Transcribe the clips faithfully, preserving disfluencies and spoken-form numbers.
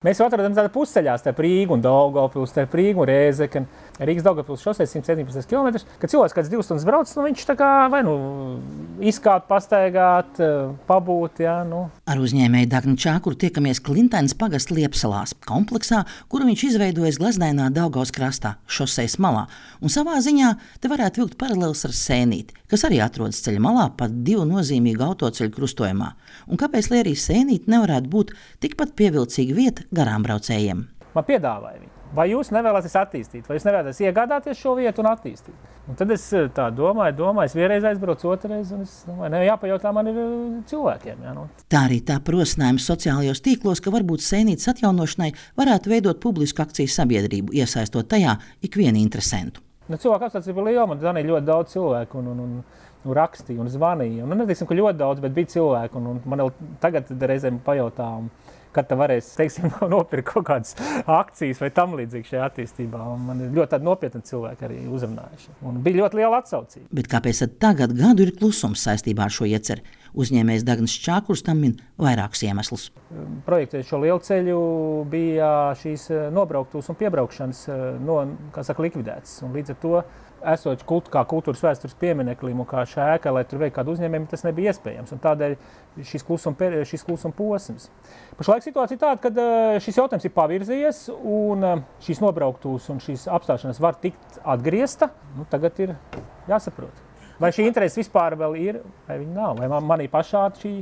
Mēs jau atrodamies tādā pusceļā starp Rīgu un Daugavpili, starp Rīgu un Rēzekni. Rīgas Daugavpils šosei simt septiņpadsmit kilometrus. Kad cilvēks kāds divas stundas brauc, nu viņš tā kā vai nu izkāpt, pastaigāt, pabūt, jā, nu. Ar uzņēmēju Dagni Čākuru tiekamies Klintainas pagasta Liepsalās, kompleksā, kuru viņš izveidojis gleznainā Daugavas krastā, šosejas malā. Un savā ziņā te varētu vilkt paralēlis ar Sēnīti, kas arī atrodas ceļa malā pat divu nozīmīgu autoceļu krustojumā. Un kāpēc, lai arī Sēnīti nevarētu būt tikpat pievilcīga vieta garām braucējiem? Man piedāvāja viņu. Vai jūs nevēlaties attīstīt, vai jūs nevēlaties iegādāties šo vietu un attīstīt? Un tad es tā domāju, domāju, es vienreiz aizbraucu, otrreiz, un es domāju, ne, jāpajautā man ir cilvēkiem. Jā, nu. Tā arī tā prosinājums sociālajos tīklos, ka varbūt Sēnītes atjaunošanai varētu veidot publisku akciju sabiedrību, iesaistot tajā ikvienu interesentu. Nu, cilvēku apstācība bija liela, man zvanīja ļoti daudz cilvēku un, un, un, un rakstīja un zvanīja. Un, neteiksim, ka ļoti daudz, bet bija cilvēku, un, un man vēl tagad reizēm pajautā, un, kad tā varēs, teiksim, nopirkt kaut kādas akcijas vai tam līdzīgi šajā attīstībā. Un man ir ļoti tādi nopietni cilvēki arī uzrunājuši. Un bija ļoti liela atsaucība. Bet kāpēc tad tagad gadu ir klusums saistībā ar šo ieceri? Uzņēmējs Dagnis Čākurs tam min vairākus iemeslus. Projektējot šo lielceļu bija šīs nobrauktuves un piebraukšanas no, kā saka, likvidētas. Un līdz ar to esot kult, kā kultūras vēstures piemineklim un kā šēka, lai tur veiktu kādu uzņēmējumu, tas nebija iespējams. Un tādēļ šis klusuma, šis klusuma posms. Pašlaik situācija ir tāda, ka šis jautājums ir pavirzījies un šīs nobrauktuves un šīs apstāšanās var tikt atgriezta. Nu, tagad ir jāsaprot. Vai šī interese vispār vēl ir, vai viņa nav? Vai man, manī pašā šī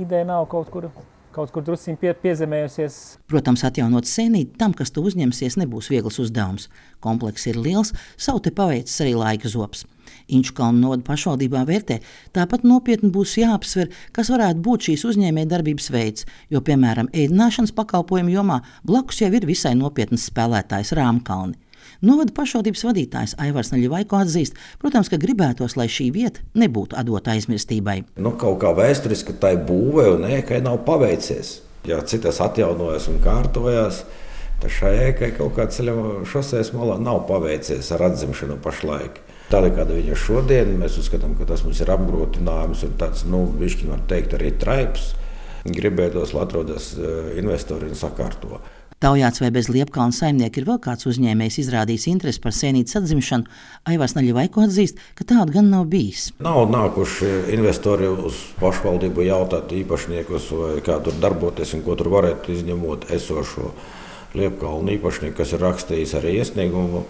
ideja nav kaut kur, kaut kur drusciņ pie, piezemējusies? Protams, atjaunot Sēnīti tam, kas to uzņemsies, nebūs viegls uzdevums. Komplekss ir liels, savu te paveicis arī laika zobs. Inčukalnu novada pašvaldībā vērtē, tāpat nopietni būs jāapsver, kas varētu būt šīs uzņēmēja darbības veids, jo, piemēram, ēdināšanas pakalpojumu jomā blakus jau ir visai nopietnas spēlētājs Rāmkalni. Novada pašvaldības vadītājs Aivars Naļivaiko atzīst, protams, ka gribētos, lai šī vieta nebūtu atdota aizmirstībai. Nu, kaut kā vēsturiski tai būvē un ēkai nav paveicies. Ja citas atjaunojas un kārtojās, tad šai ēkai kaut kā ceļa šosejas malā nav paveicies ar atzimšanu pašlaik. Tāda, kāda viņa šodien, mēs uzskatām, ka tas mums ir apgrūtinājums un tāds, nu, višķi var teikt, arī traips. Gribētos, lai atrodas investori un sakārto. Taujāts, vai bez Liepkalna saimnieka ir vēl kāds uzņēmējs izrādījis interesi par Sēnītes atzimšanu, Aivars Naļivaiko atzīst, ka tāda gan nav bijis. Nav nākuši investori uz pašvaldību jautāt īpašniekus, vai kā tur darboties un ko tur varētu izņemot esošo Liepkalnu īpašnieku, kas ir rakstījis arī iesniegumu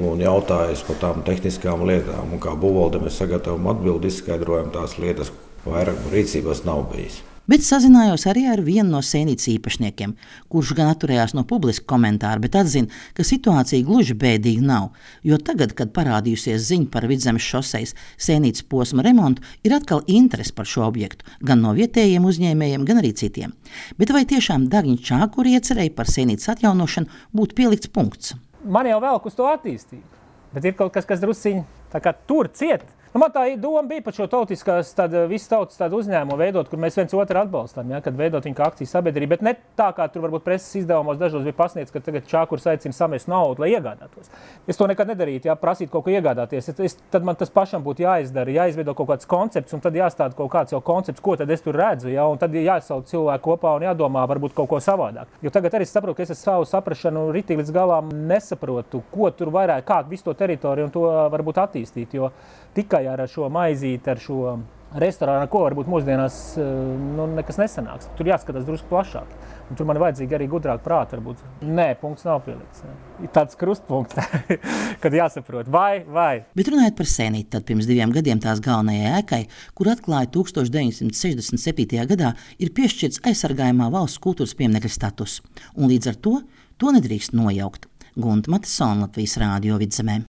un jautājis par tām tehniskām lietām. Un kā būvvalde mēs sagatavojam atbildi, izskaidrojam tās lietas, vairāk rīcībās nav bijis. Bet sazinājos arī ar vienu no Sēnītes īpašniekiem, kurš gan atturējās no publiska komentāra, bet atzina, ka situācija gluži bēdīga nav, jo tagad, kad parādījusies ziņa par Vidzemes šosejas Sēnītes posma remontu, ir atkal interese par šo objektu, gan no vietējiem uzņēmējiem, gan arī citiem. Bet vai tiešām Dagņa Čākura iecerēja par Sēnītes atjaunošanu būtu pielikts punkts? Man jau velk uz to attīstību, bet ir kaut kas, kas drusciņ tā kā tur ciet. Nu, man tā doma bija par šo tautiskās, tāda, visu tautas tādu uzņēmumu veidot, kur mēs viens otru atbalstām, ja, kad veidot viņu kā akciju sabiedrību, bet ne tā, kā tur varbūt preses izdevumos dažos bija pasniegts, ka tagad Čākurs aicina samest naudu, lai iegādātos. Es to nekad nedarītu, ja, prasīt kaut ko iegādāties. Es, tad man tas pašam būtu jāizdara, jāizveido kaut kāds koncepts, un tad jāstāda kaut kāds jau koncepts, ko tad es tur redzu, ja, un tad jāsauc cilvēku kopā un jādomā varbūt kaut ko savādāk. Jo tagad arī saprotu, ka es savu saprašanu ritīgi līdz galām nesaprotu, ko tur vairāk, kā visu to teritoriju un to varbūt attīstīt, jo tikai ar šo maizīti, ar šo restorānu, ko varbūt mūsdienās nu, nekas nesanāks. Tur jāskatās drusku plašāk. Un tur man vajadzīgi arī gudrāk prāti varbūt. Nē, punkts nav pielikts. Ir tāds krustpunkts, kad jāsaprot, vai, vai. Bet runājot par Sēnīti, tad pirms diviem gadiem tās galvenajai ēkai, kur atklāja tūkstoš deviņsimt sešdesmit septītajā gadā, ir piešķirts aizsargājumā valsts kultūras pieminekļa status. Un līdz ar to to nedrīkst nojaukt. Gunta Matisona, Latvijas Rādio Vidzemē.